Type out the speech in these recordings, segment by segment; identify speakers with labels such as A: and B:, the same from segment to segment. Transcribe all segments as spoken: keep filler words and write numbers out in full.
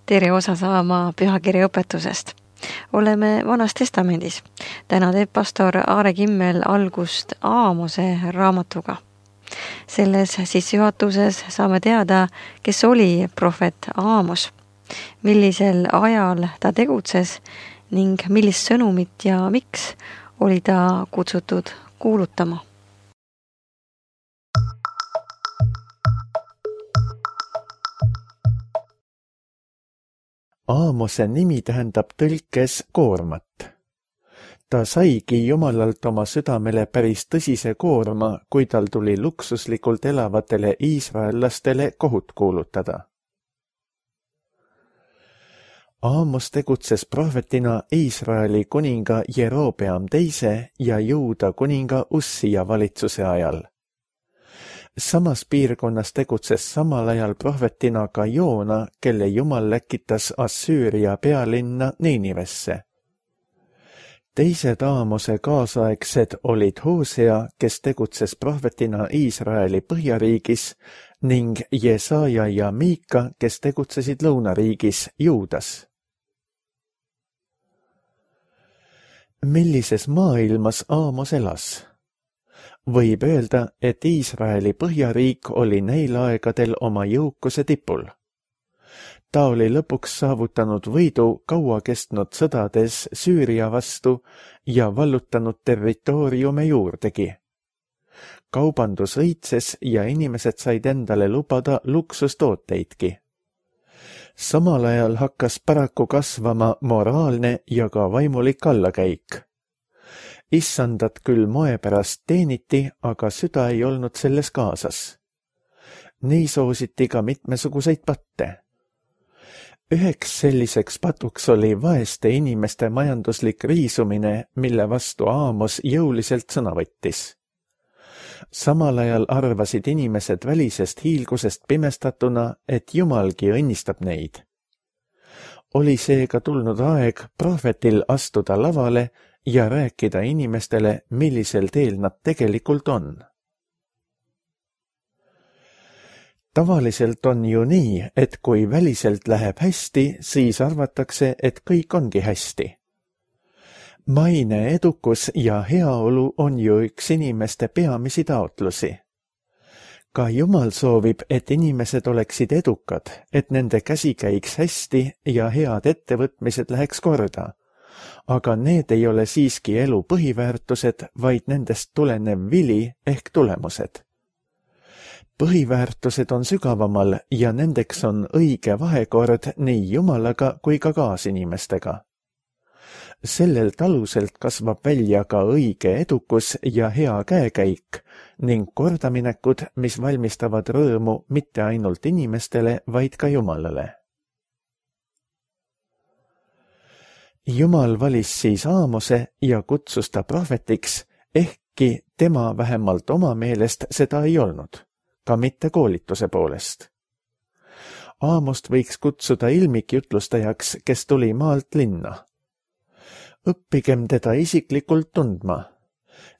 A: tere osa saama pühakirja õpetusest. Oleme Vanas Testamendis. Täna teeb pastor Aare Kimmel algust Aamose raamatuga. Selles sissejuhatuses saame teada, kes oli prohvet Aamos, millisel ajal ta tegutses ning millist sõnumit ja miks oli ta kutsutud kuulutama.
B: Aamose nimi tähendab tõlkes koormat. Ta saigi Jumalalt oma südamele päris tõsise koorma, kui tal tuli luksuslikult elavatele iisraellastele kohut kuulutada. Aamos tegutses prohvetina Iisraeli kuninga Jerobeam teise ja Juuda kuninga Ussia valitsuse ajal. Samas piirkonnas tegutses samal ajal prohvetina ka Joona, kelle Jumal läkitas Assüüria pealinna Niinivesse. Teised Aamose kaasaegsed olid Hosea, kes tegutses prohvetina Iisraeli põhjariigis, ning Jesaja ja Miika, kes tegutsesid lõunariigis Juudas. Millises maailmas Aamos elas? Võib öelda, et Iisraeli põhjariik oli neil aegadel oma jõukuse tipul. Ta oli lõpuks saavutanud võidu kaua kestnud sõdades Süüria vastu ja vallutanud territooriume juurdegi. Kaubandus õitses ja inimesed said endale lubada luksustooteidki. Samal ajal hakkas paraku kasvama moraalne ja ka vaimulik allakäik. Issandat küll moe pärast teeniti, aga süda ei olnud selles kaasas. Nii soositi ka mitmesuguseid patte. Üheks selliseks patuks oli vaeste inimeste majanduslik riisumine, mille vastu Aamos jõuliselt sõna võttis. Samal ajal arvasid inimesed välisest hiilgusest pimestatuna, et Jumalgi õnnistab neid. Oli seega tulnud aeg prohvetil astuda lavale ja rääkida inimestele, millisel teel nad tegelikult on. Tavaliselt on ju nii, et kui väliselt läheb hästi, siis arvatakse, et kõik ongi hästi. Maine, edukus ja heaolu on ju üks inimeste peamisi taotlusi. Ka Jumal soovib, et inimesed oleksid edukad, et nende käsi käiks hästi ja head ettevõtmised läheks korda. Aga need ei ole siiski elu põhiväärtused, vaid nendest tulenev vili ehk tulemused. Põhiväärtused on sügavamal ja nendeks on õige vahekord nii Jumalaga kui ka kaasinimestega. Sellelt aluselt kasvab välja ka õige edukus ja hea käekäik ning kordaminekud, mis valmistavad rõõmu mitte ainult inimestele, vaid ka Jumalale. Jumal valis siis Aamose ja kutsus ta prohvetiks, ehkki tema vähemalt oma meelest seda ei olnud, ka mitte koolituse poolest. Aamost võiks kutsuda ilmikjutlustajaks, kes tuli maalt linna. Õppigem teda isiklikult tundma.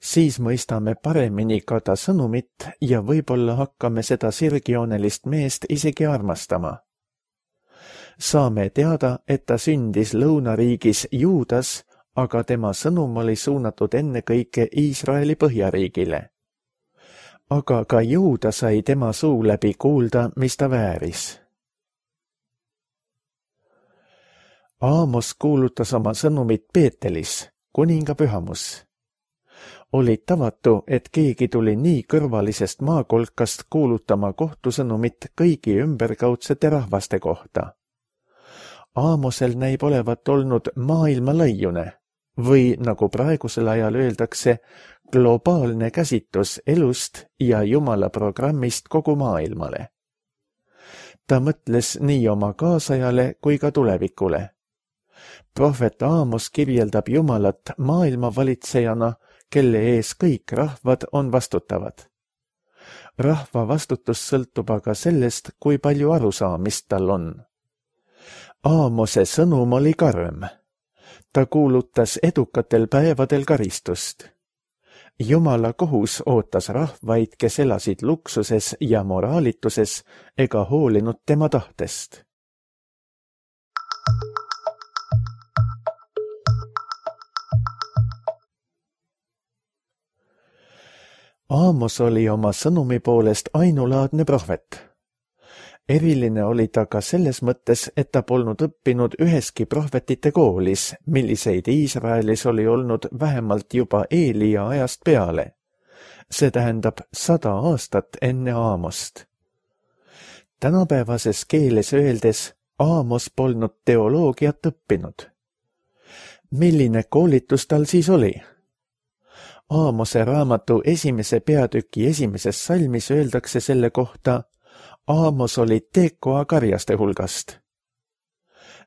B: Siis mõistame paremini ka ta sõnumit ja võib-olla hakkame seda sirgjoonelist meest isegi armastama. Saame teada, et ta sündis lõunariigis Juudas, aga tema sõnum oli suunatud ennekõike Iisraeli põhjariigile. Aga ka Juuda sai tema suu läbi kuulda, mis ta vääris. Aamos kuulutas oma sõnumit Peetelis, kuninga pühamus. Oli tavatu, et keegi tuli nii kõrvalisest maakolkast kuulutama kohtusõnumit kõigi ümberkaudsete rahvaste kohta. Aamosel näib olevat olnud maailma laiune või, nagu praegusel ajal öeldakse, globaalne käsitus elust ja Jumala programmist kogu maailmale. Ta mõtles nii oma kaasajale kui ka tulevikule. Prohvet Aamos kirjeldab Jumalat maailma valitsejana, kelle ees kõik rahvad on vastutavad. Rahva vastutus sõltub aga sellest, kui palju arusaamist tal on. Aamose sõnum oli karm. Ta kuulutas edukatel päevadel karistust. Jumala kohus ootas rahvaid, kes elasid luksuses ja moraalituses ega hoolinud tema tahtest. Aamos oli oma sõnumi poolest ainulaadne prohvet. Eriline oli ta ka selles mõttes, et ta polnud õppinud üheski prohvetite koolis, milliseid Iisraelis oli olnud vähemalt juba Eelia ajast peale. See tähendab sada aastat enne Aamost. Tänapäevases keeles öeldes Aamos polnud teoloogiat õppinud. Milline koolitus tal siis oli? Aamose raamatu esimese peatüki esimeses salmis öeldakse selle kohta: Aamos oli Tekoa karjaste hulgast.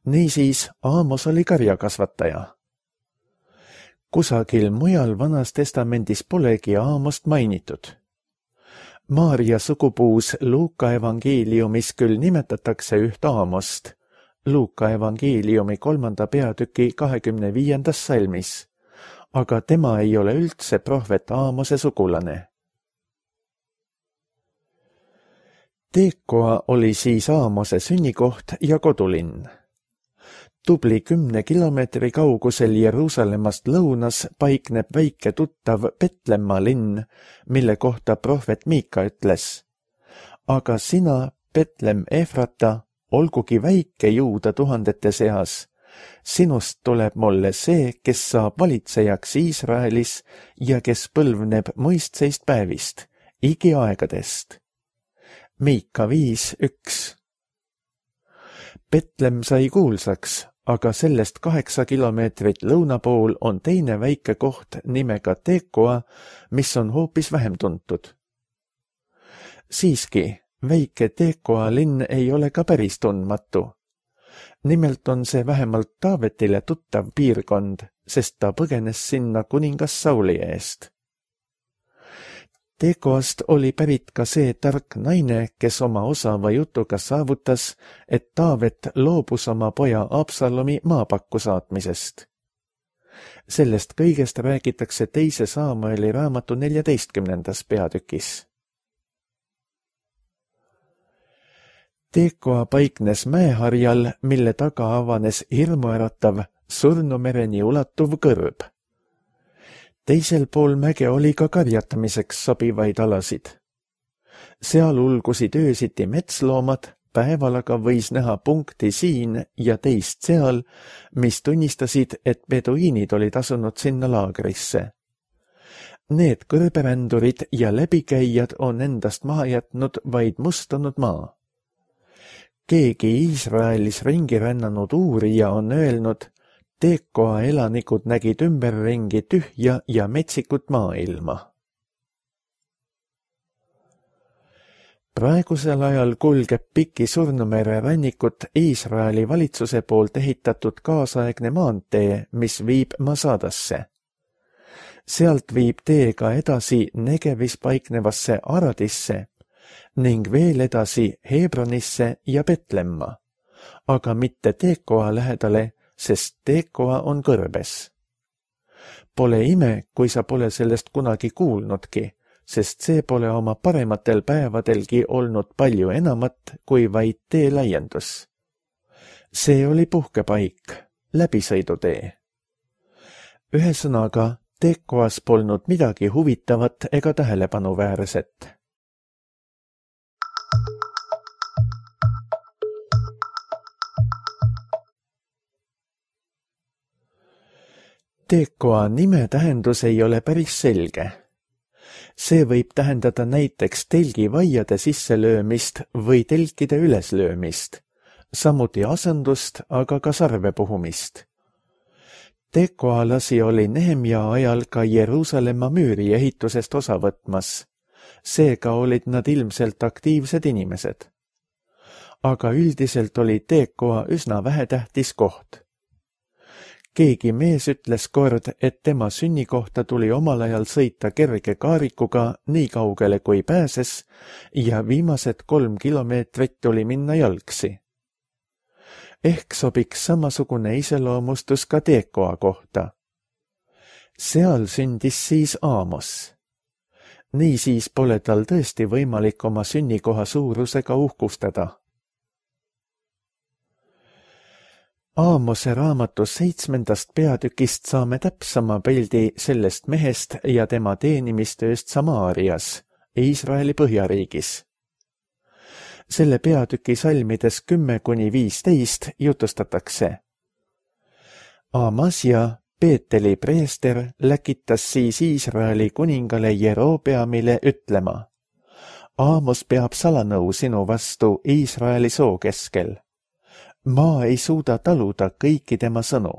B: Niisiis, Aamos oli karjakasvataja. Kusagil mujal Vanas Testamendis polegi Aamost mainitud. Maaria sugupuus Luuka evangeeliumis küll nimetatakse üht Aamost, Luuka evangeeliumi kolmanda peatüki kahekümne viiendas salmis, aga tema ei ole üldse prohvet Aamose sugulane. Tekoa oli siis Aamose sünnikoht ja kodulinn. Tubli kümne kilomeetri kaugusel Jeruusalemmast lõunas paikneb väike tuttav Petlemma linn, mille kohta prohvet Miika ütles: aga sina, Petlem Efrata, olgugi väike Juuda tuhandete seas, sinust tuleb mulle see, kes saab valitsejaks Iisraelis ja kes põlvneb mõistseist päevist, igiaegadest. Miika viis üks. Petlem sai kuulsaks, aga sellest kaheksa kilomeetrit lõuna pool on teine väike koht nimega Tekoa, mis on hoopis vähem tuntud. Siiski, väike Tekoa linn ei ole ka päris tundmatu. Nimelt on see vähemalt Taavetile tuttav piirkond, sest ta põgenes sinna kuningas Sauli eest. Tekoast oli pärit ka see tark naine, kes oma osava jutuga saavutas, et Taavet loobus oma poja Absalomi maapakku saatmisest. Sellest kõigest räägitakse teise Saamueli raamatu neljateistkümnendas peatükis. Tekoa paiknes mäeharjal, mille taga avanes hirmuäratav surnumereni ulatuv kõrb. Teisel pool mäge oli ka karjatamiseks sobivaid alasid. Seal ulgusid öösiti metsloomad, päeval aga võis näha punkti siin ja teist seal, mis tunnistasid, et beduiinid olid asunud sinna laagrisse. Need kõrberändurid ja läbikäijad on endast maha jätnud vaid mustunud maa. Keegi Iisraelis ringi rännanud uurija on öelnud: Tekoa elanikud nägid ümberringi tühja ja metsikut maailma. Praegusel ajal kulgeb piki Surnumere rannikut Iisraeli valitsuse poolt ehitatud kaasaegne maantee, mis viib Masadasse. Sealt viib teega edasi Negevis paiknevasse Aradisse ning veel edasi Hebronisse ja Petlemma, aga mitte Tekoa lähedale, sest Tekoa on kõrbes. Pole ime, kui sa pole sellest kunagi kuulnudki, sest see pole oma parematel päevadelgi olnud palju enamat kui vaid tee laiendus. See oli puhkepaik, läbisõidutee. Ühesõnaga, Tekoas polnud midagi huvitavat ega tähelepanuväärset. Tekoa nime tähendus ei ole päris selge. See võib tähendada näiteks telgivaiade sisselöömist või telkide üleslöömist, samuti asendust, aga ka sarve puhumist. Tekoalasi oli Nehemja ajal ka Jeruusalemma müüri ehitusest osa võtmas, seega olid nad ilmselt aktiivsed inimesed. Aga üldiselt oli Tekoa üsna vähetähtis koht. Keegi mees ütles kord, et tema sünnikohta tuli omal ajal sõita kerge kaarikuga nii kaugele kui pääses ja viimased kolm kilomeetrit tuli minna jalgsi. Ehk sobiks samasugune iseloomustus ka Tekoa kohta. Seal sündis siis Aamos. Niisiis pole tal tõesti võimalik oma sünnikoha suurusega uhkustada. Aamose raamatu seitsmendast peatükist saame täpsama pildi sellest mehest ja tema teenimistööst Samaarias, Iisraeli põhjariigis. Selle peatüki salmides kümme kuni viisteist jutustatakse. Amasja, Peeteli preester, läkitas siis Iisraeli kuningale Jerobeamile ütlema: Aamos peab salanõu sinu vastu Iisraeli soo keskel. Maa ei suuda taluda kõiki tema sõnu,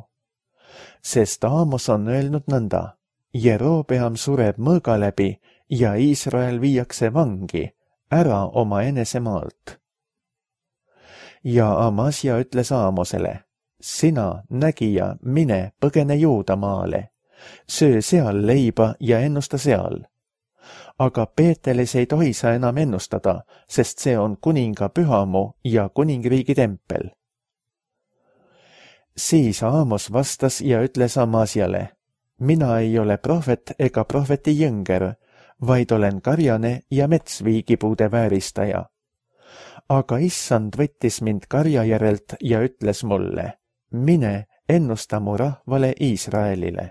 B: sest Aamos on öelnud nõnda: Jerobeam sureb mõõga läbi ja Iisrael viiakse vangi, ära oma enesemaalt. Ja Amasja ütles Aamosele: sina, nägija, mine, põgene Juudamaale, söö seal leiba ja ennusta seal. Aga Peetelis ei tohi sa enam ennustada, sest see on kuninga pühamu ja kuningriigi tempel. Siis Aamos vastas ja ütles Amasjale: mina ei ole prohvet ega prohveti jõnger, vaid olen karjane ja metsviigipuude vääristaja. Aga issand võttis mind karja järelt ja ütles mulle: mine, ennusta mu rahvale Iisraelile.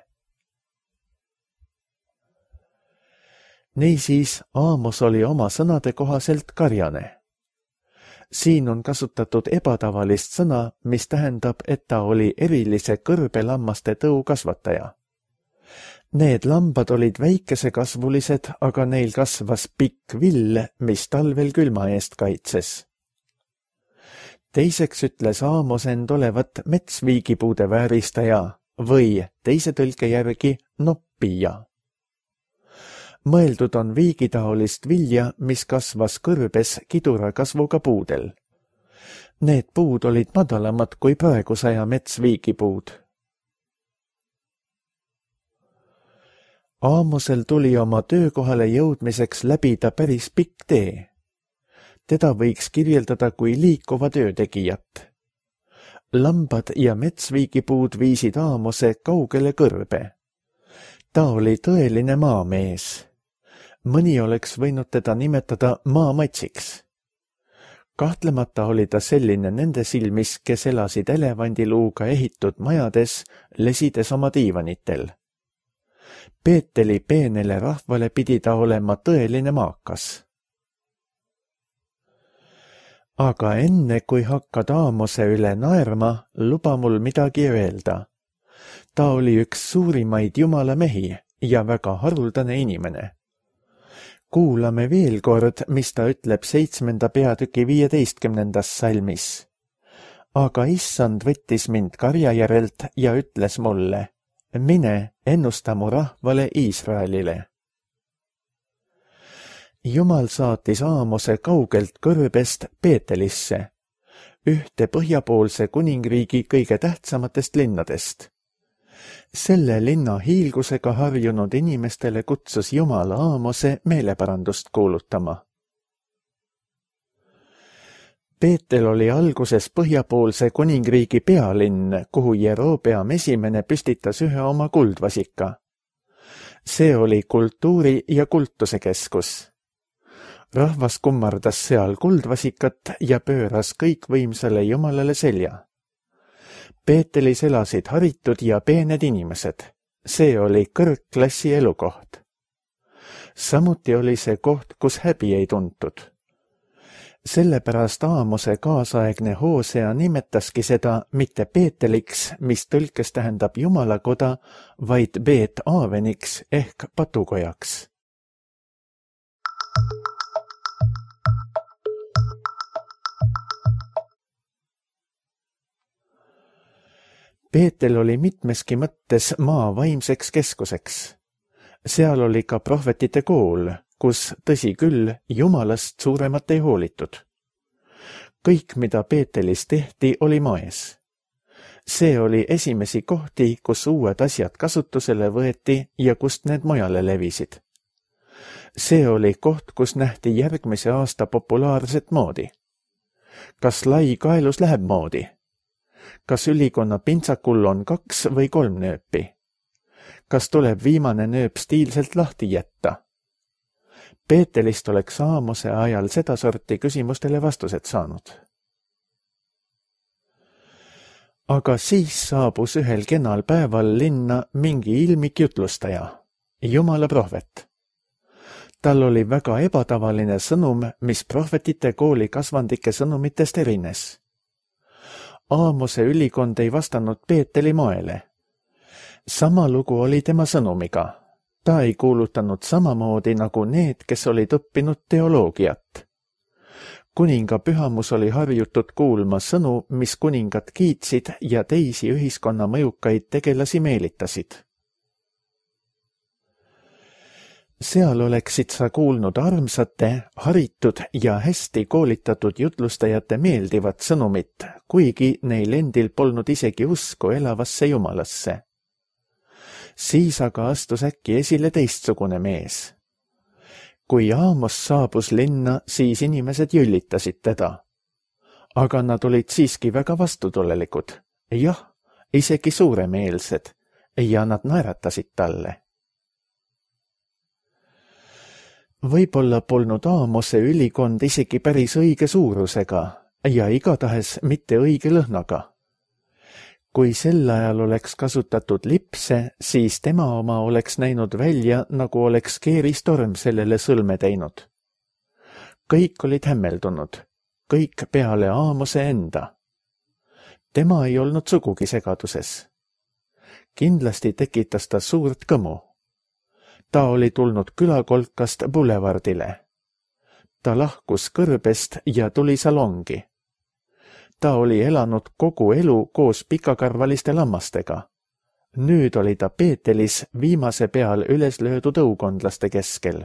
B: Niisiis Aamos oli oma sõnade kohaselt karjane. Siin on kasutatud ebatavalist sõna, mis tähendab, et ta oli erilise kõrbelammaste tõu kasvataja. Need lambad olid väikesekasvulised, aga neil kasvas pikk vill, mis talvel külma eest kaitses. Teiseks ütles Aamos end olevat metsviigipuude vääristaja või teise tõlke järgi noppija. Mõeldud on viigitaolist vilja, mis kasvas kõrbes kidura kasvuga puudel. Need puud olid madalamad kui praegusaja metsviigipuud. Aamosel tuli oma töökohale jõudmiseks läbida päris pikk tee. Teda võiks kirjeldada kui liikuva töötegijat. Lambad ja metsviigipuud viisid Aamose kaugele kõrbe. Ta oli tõeline maamees. Mõni oleks võinud teda nimetada maamatsiks. Kahtlemata oli ta selline nende silmis, kes elasid elevandiluuga ehitud majades, lesides oma diivanitel. Peeteli peenele rahvale pidi ta olema tõeline maakas. Aga enne, kui hakkad Aamose üle naerma, luba mul midagi öelda. Ta oli üks suurimaid jumala mehi ja väga haruldane inimene. Kuulame veel kord, mis ta ütleb seitsmenda peatüki viieteistkümnendas salmis. Aga issand võttis mind karja järelt ja ütles mulle: mine, ennusta mu rahvale Iisraelile. Jumal saatis Aamose kaugelt kõrbest Peetelisse, ühte põhjapoolse kuningriigi kõige tähtsamatest linnadest. Selle linna hiilgusega harjunud inimestele kutsus Jumal Aamose meeleparandust kuulutama. Peetel oli alguses põhjapoolse kuningriigi pealinn, kuhu Jerobeam esimene püstitas ühe oma kuldvasika. See oli kultuuri ja kultuse keskus. Rahvas kummardas seal kuldvasikat ja pööras kõikvõimsale Jumalale selja. Peetelis elasid haritud ja peened inimesed. See oli kõrgklassi elukoht. Samuti oli see koht, kus häbi ei tuntud. Sellepärast Aamose kaasaegne Hoosea nimetaski seda mitte Peeteliks, mis tõlkes tähendab Jumalakoda, vaid Beet Aaveniks ehk patukojaks. Peetel oli mitmeski mõttes maa vaimseks keskuseks. Seal oli ka prohvetite kool, kus, tõsi küll, Jumalast suuremat ei hoolitud. Kõik, mida Peetelis tehti, oli moes. See oli esimesi kohti, kus uued asjad kasutusele võeti ja kust need mujale levisid. See oli koht, kus nähti järgmise aasta populaarset moodi. Kas lai kaelus läheb moodi? Kas ülikonna pintsakul on kaks või kolm nööpi? Kas tuleb viimane nööp stiilselt lahti jätta? Peetelist oleks Aamose ajal seda sorti küsimustele vastused saanud. aga siis saabus ühel kenal päeval linna mingi ilmik jutlustaja, Jumala prohvet. Tal oli väga ebatavaline sõnum, mis prohvetite kooli kasvandike sõnumitest erines. Aamose ülikond ei vastanud Peeteli moele. Sama lugu oli tema sõnumiga. Ta ei kuulutanud samamoodi nagu need, kes olid õppinud teoloogiat. Kuninga pühamus oli harjutud kuulma sõnu, mis kuningat kiitsid ja teisi ühiskonna mõjukaid tegelasi meelitasid. Seal oleksid sa kuulnud armsate, haritud ja hästi koolitatud jutlustajate meeldivat sõnumit, kuigi neil endil polnud isegi usku elavasse Jumalasse. Siis aga astus äkki esile teistsugune mees. Kui Aamos saabus linna, siis inimesed jüllitasid teda. Aga nad olid siiski väga vastutulelikud. Jah, isegi suuremeelsed ja nad naeratasid talle. Võib-olla polnud Aamose ülikond isegi päris õige suurusega ja igatahes mitte õige lõhnaga. Kui sel ajal oleks kasutatud lipse, siis tema oma oleks näinud välja, nagu oleks keeristorm sellele sõlme teinud. Kõik olid hämmeldunud, kõik peale Aamose enda. Tema ei olnud sugugi segaduses. Kindlasti tekitas ta suurt kõmu. Ta oli tulnud külakolkast bulevardile. Ta lahkus kõrbest ja tuli salongi. Ta oli elanud kogu elu koos pikakarvaliste lammastega. Nüüd oli ta Peetelis viimase peal üles löödud õukondlaste keskel.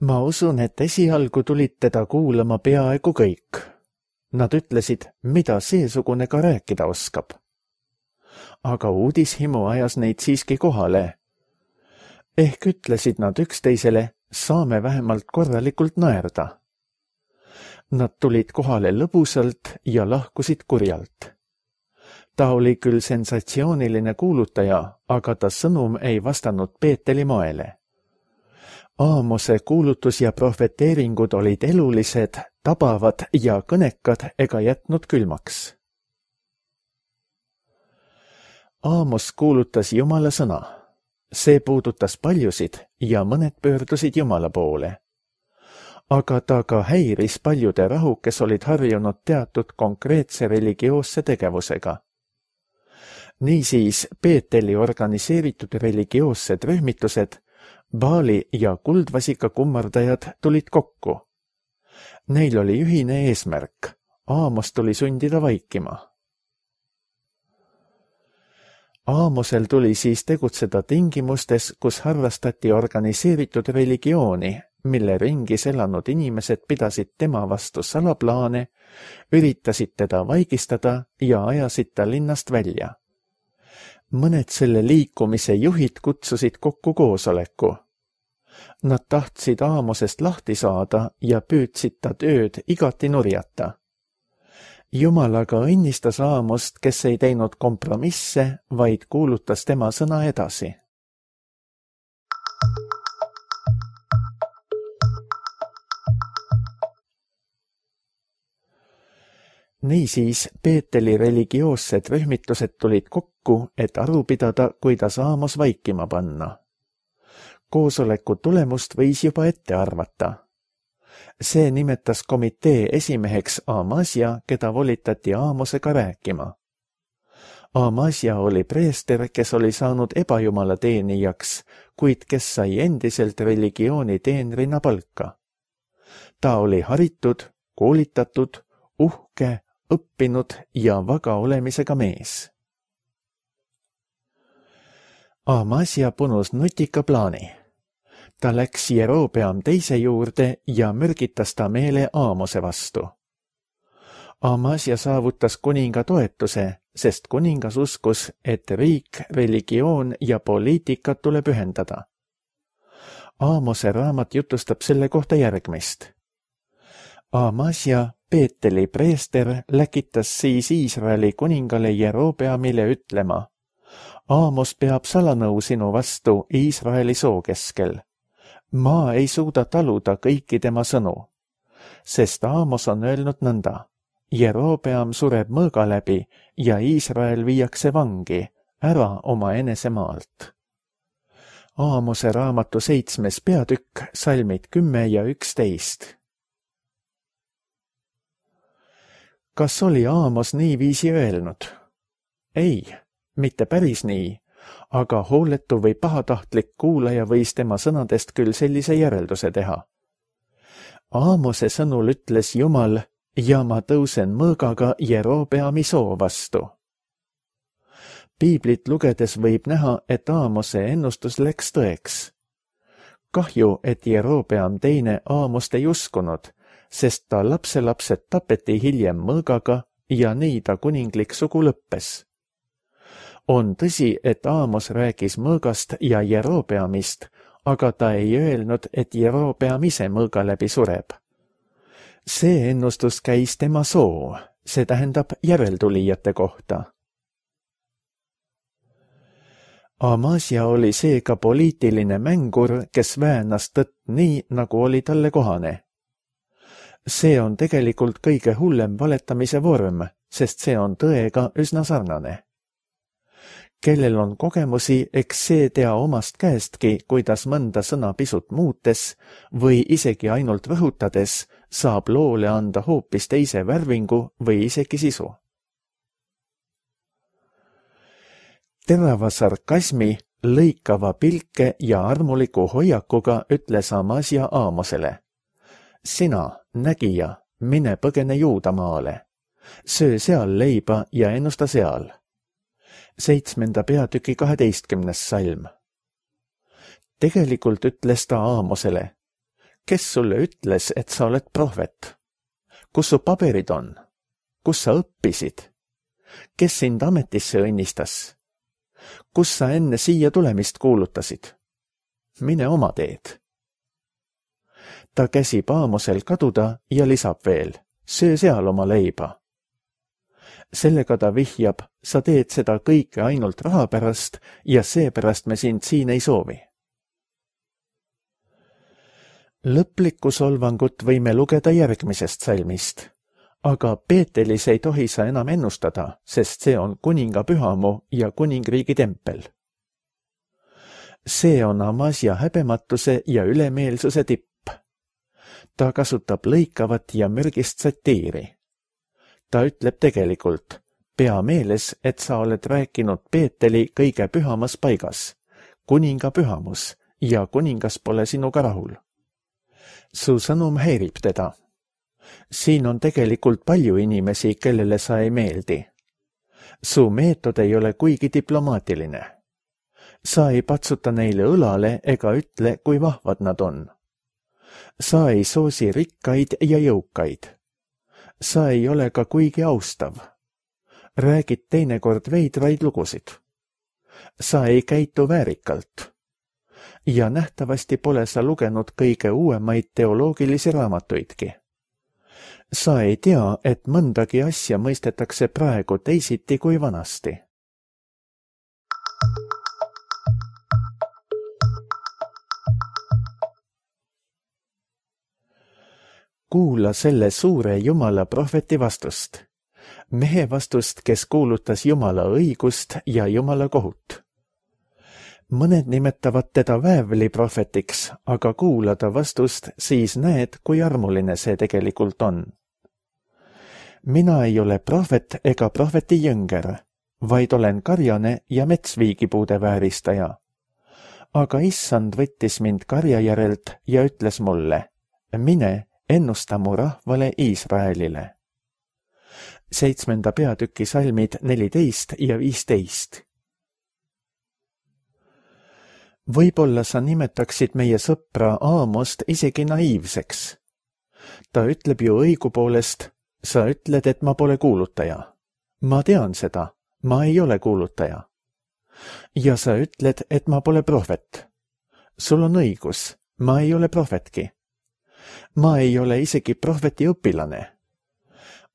B: Ma usun, et esialgu tulid teda kuulama peaaegu kõik. Nad ütlesid, mida seesugune ka rääkida oskab. Aga uudishimu ajas neid siiski kohale. Ehk ütlesid nad üksteisele, saame vähemalt korralikult naerda. Nad tulid kohale lõbusalt ja lahkusid kurjalt. Ta oli küll sensatsiooniline kuulutaja, aga ta sõnum ei vastanud Peeteli moele. Aamose kuulutus ja profeteeringud olid elulised, tabavad ja kõnekad ega jätnud külmaks. Aamos kuulutas Jumala sõna. See puudutas paljusid ja mõned pöördusid Jumala poole. Aga ta ka häiris paljude rahu, kes olid harjunud teatud konkreetse religioosse tegevusega. Niisiis Peeteli organiseeritud religioossed rühmitused, Baali ja kuldvasika kummardajad tulid kokku. Neil oli ühine eesmärk. Aamos tuli sundida vaikima. Aamosel tuli siis tegutseda tingimustes, kus harrastati organiseeritud religiooni, mille ringis elanud inimesed pidasid tema vastu salaplaane, üritasid teda vaigistada ja ajasid ta linnast välja. Mõned selle liikumise juhid kutsusid kokku koosoleku. Nad tahtsid Aamosest lahti saada ja püüdsid ta tööd igati nurjata. Jumal aga õnnistas Aamost, kes ei teinud kompromisse, vaid kuulutas tema sõna edasi. Niisiis Peeteli religioossed rühmitused tulid kokku, et aru pidada, kuidas Aamos vaikima panna. Koosoleku tulemust võis juba ette arvata. See nimetas komitee esimeheks Amasja, keda volitati Aamosega rääkima. Amasja oli preester, kes oli saanud ebajumala teenijaks, kuid kes sai endiselt religiooni teenrina palka. Ta oli haritud, koolitatud, uhke, õppinud ja vaga olemisega mees. Amasja punus nutika plaani. Ta läks Jerobeam teise juurde ja mürgitas ta meele Aamose vastu. Amasja saavutas kuninga toetuse, sest kuningas uskus, et riik, religioon ja poliitika tuleb ühendada. Aamose raamat jutustab selle kohta järgmist. Amasja, Peeteli preester, läkitas siis Iisraeli kuningale Jerobeamile ütlema: Aamos peab salanõu sinu vastu Iisraeli soo keskel. Ma ei suuda taluda kõiki tema sõnu, sest Aamos on öelnud nõnda. Jerobeam sureb mõõga läbi ja Iisrael viiakse vangi, ära oma enesemaalt. Aamose raamatu seitsmes peatükk, salmid kümme ja üksteist. Kas oli Aamos niiviisi öelnud? Ei, mitte päris nii, aga hooletu või pahatahtlik kuulaja võis tema sõnadest küll sellise järelduse teha. Aamose sõnul ütles Jumal, ja ma tõusen mõõgaga Jerobeami soo vastu. Piiblit lugedes võib näha, et Aamose ennustus läks tõeks. Kahju, et Jerobeam teine Aamost ei uskunud, sest ta lapselapsed tapeti hiljem mõõgaga ja nii ta kuninglik sugu lõppes. On tõsi, et Aamos rääkis mõõgast ja Jerobeamist, aga ta ei öelnud, et Jerobeam ise mõõga läbi sureb. See ennustus käis tema soo, see tähendab järeltulijate kohta. Amasia oli seega poliitiline mängur, kes väänas tõtt nii, nagu oli talle kohane. See on tegelikult kõige hullem valetamise vorm, sest see on tõega üsna sarnane. Kellel on kogemusi, eks see tea omast käestki, kuidas mõnda sõna pisut muutes või isegi ainult rõhutades saab loole anda hoopis teise värvingu või isegi sisu. Terava sarkasmi, lõikava pilke ja armuliku hoiakuga ütles Amasia Aamosele. Sina, nägija, mine põgene Juudamaale. Söö seal leiba ja ennusta seal. Seitsmenda peatüki kaheteistkümnes salm. Tegelikult ütles ta Aamosele. Kes sulle ütles, et sa oled prohvet? Kus su paberid on? Kus sa õppisid? Kes sind ametisse õnnistas? Kus sa enne siia tulemist kuulutasid? Mine oma teed. Ta käsib Aamosel kaduda ja lisab veel, söö seal oma leiba. Sellega ta vihjab, sa teed seda kõike ainult raha pärast ja seepärast me sind siin ei soovi. Lõplikku solvangut võime lugeda järgmisest salmist. Aga Peetelis ei tohi sa enam ennustada, sest see on kuninga pühamu ja kuningriigi tempel. See on Amasia häbematuse ja ülemeelsuse tipp. Ta kasutab lõikavat ja mürgist satiiri. Ta ütleb tegelikult, pea meeles, et sa oled rääkinud Peeteli kõige pühamas paigas, kuninga pühamus, ja kuningas pole sinuga rahul. Su sõnum häirib teda. Siin on tegelikult palju inimesi, kellele sa ei meeldi. Su meetod ei ole kuigi diplomaatiline. Sa ei patsuta neile õlale ega ütle, kui vahvad nad on. Sa ei soosi rikkaid ja jõukaid. Sa ei ole ka kuigi austav. Räägid teinekord veidraid lugusid. Sa ei käitu väärikalt. Ja nähtavasti pole sa lugenud kõige uuemaid teoloogilisi raamatuidki. Sa ei tea, et mõndagi asja mõistetakse praegu teisiti kui vanasti. Kuula selle suure Jumala prohveti vastust. Mehe vastust, kes kuulutas Jumala õigust ja Jumala kohut. Mõned nimetavad teda väävli prohvetiks, aga kuula ta vastust, siis näed, kui armuline see tegelikult on. Mina ei ole prohvet ega prohveti jõnger, vaid olen karjane ja metsviigipuude vääristaja. Aga issand võttis mind karja järelt ja ütles mulle, mine, ennusta mu rahvale Iisraelile. Seitsmenda peatüki salmid neliteist ja viisteist. Võib-olla sa nimetaksid meie sõpra Aamost isegi naiivseks. Ta ütleb ju õigupoolest, sa ütled, et ma pole kuulutaja. Ma tean seda, ma ei ole kuulutaja. Ja sa ütled, et ma pole prohvet. Sul on õigus, ma ei ole prohvetki. Ma ei ole isegi prohveti õpilane.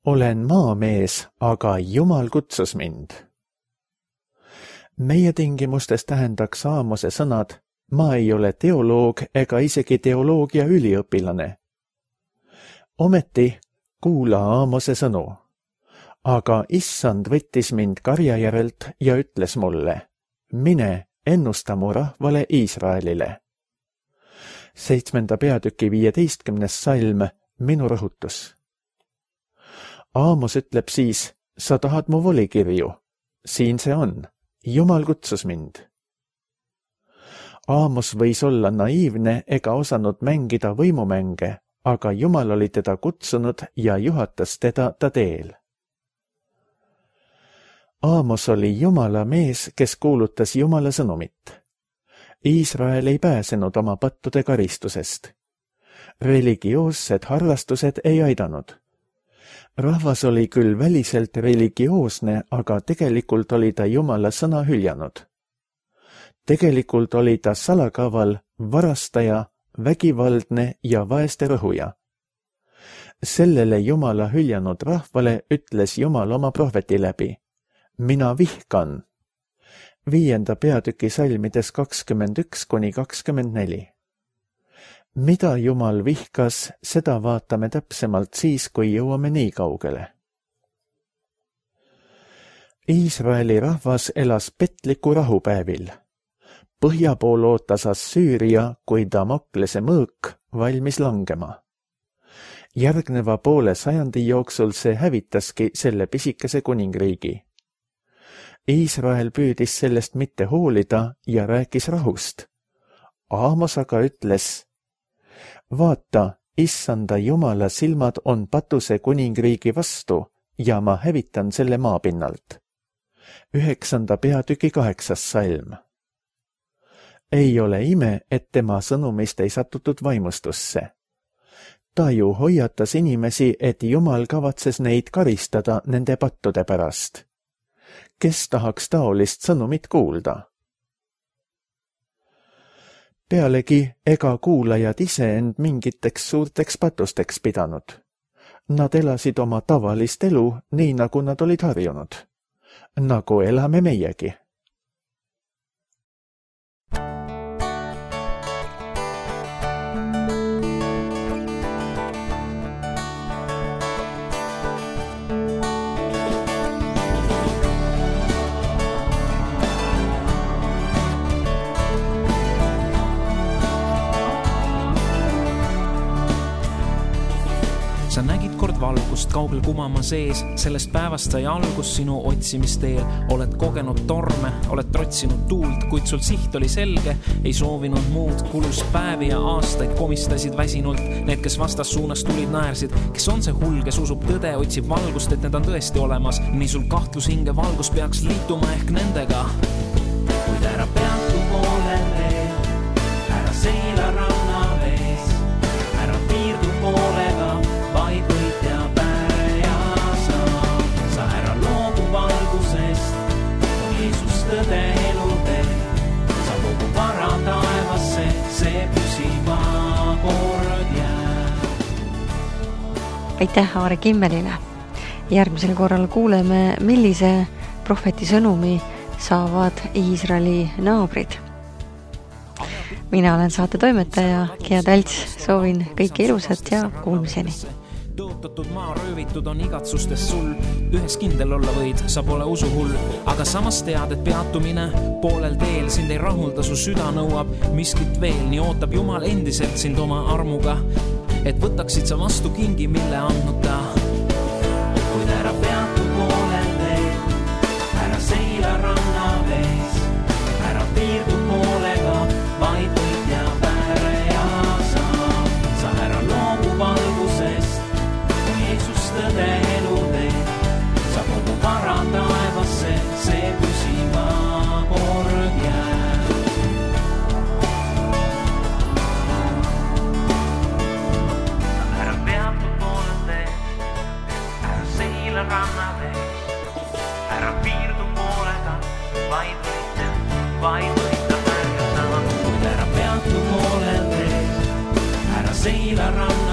B: Olen maamees, aga Jumal kutsus mind. Meie tingimustes tähendaks Aamose sõnad, ma ei ole teoloog ega isegi teoloogia üliõpilane. Ometi kuula Aamose sõnu, aga issand võttis mind karja järelt ja ütles mulle, mine ennusta mu rahvale Iisraelile. Seitsmenda peatüki viieteistkümnes salm, minu rõhutus. Aamos ütleb siis, sa tahad mu volikirju. Siin see on. Jumal kutsus mind. Aamos võis olla naiivne ega osanud mängida võimumänge, aga Jumal oli teda kutsunud ja juhatas teda ta teel. Aamos oli Jumala mees, kes kuulutas Jumala sõnumit. Iisrael ei pääsenud oma pattude karistusest. Religioossed harrastused ei aidanud. Rahvas oli küll väliselt religioosne, aga tegelikult oli ta Jumala sõna hüljanud. Tegelikult oli ta salakaval, varastaja, vägivaldne ja vaeste rõhuja. Sellele Jumala hüljanud rahvale ütles Jumal oma prohveti läbi. Mina vihkan. Viienda peatüki salmides kakskümmend üks kuni kakskümmend neli. Mida Jumal vihkas, seda vaatame täpsemalt siis, kui jõuame nii kaugele. Iisraeli rahvas elas petliku rahupäevil. Põhja pool ootas Assüüria, kui Damoklese mõõk valmis langema. Järgneva poole sajandi jooksul see hävitaski selle pisikese kuningriigi. Iisrael püüdis sellest mitte hoolida ja rääkis rahust. Aamos aga ütles, vaata, issanda Jumala silmad on patuse kuningriigi vastu ja ma hävitan selle maapinnalt. Üheksanda peatüki kaheksas salm. Ei ole ime, et tema sõnumist ei satutud vaimustusse. Ta ju hoiatas inimesi, et Jumal kavatses neid karistada nende pattude pärast. Kes tahaks taolist sõnumit kuulda? Pealegi ega kuulajad ise end mingiteks suurteks patusteks pidanud. Nad elasid oma tavalist elu, nii nagu nad olid harjunud. Nagu elame meiegi.
C: Sa nägid kord valgust kaugel kumama sees, sellest päevast sai algus sinu otsimisteel. Oled kogenud torme, oled trotsinud tuult, kuid sul siht oli selge, ei soovinud muud. Kulus päevi ja aastaid komistasid väsinult, need, kes vastas suunas tulid, naersid. Kes on see hull, kes usub tõde, otsib valgust, et need on tõesti olemas. Nii sul kahtlus hinge valgus peaks liituma ehk nendega. Kuid ära peatu poolel veel, ära seila ranna vees, ära piirdu poolega, vaid võitja päja sa. Sa ära loobu valgusest, on Jeesus tõde elutee. Sa kogu vara taevasse, see püsiva kord jääb.
A: Aitäh Aare Kimmelile. Järgmisel korral kuuleme, millise prohveti sõnumi saavad Iisraeli naabrid. Mina olen saate toimetaja Gea Talts, soovin kõike ilusat ja kuulmiseni.
C: Tõotatud maa röövitud on igatsustes sul, ühes kindel olla võid, sa pole usuhull, aga samas tead, et peatumine poolel teel sind ei rahulda, su süda nõuab miskit veel, nii ootab Jumal endiselt sind oma armuga, et võtaksid sa vastu kingi, mille andnud ta. Kuid ära peatu poolel teel, ära seila ranna vees, ära piirdu poolega, vaid võitja päreja sa. Sa ära loobu valgusest, tõde elutee, sa kogu vara taevasse, see püsiva kord jääb. Ära peatu poolel tee, ära seila ranna vees, ära piirdu poolega, vaid võitja, vaid võitja päev ja sama. Kuid ära peatu poolel tee, ära seila ranna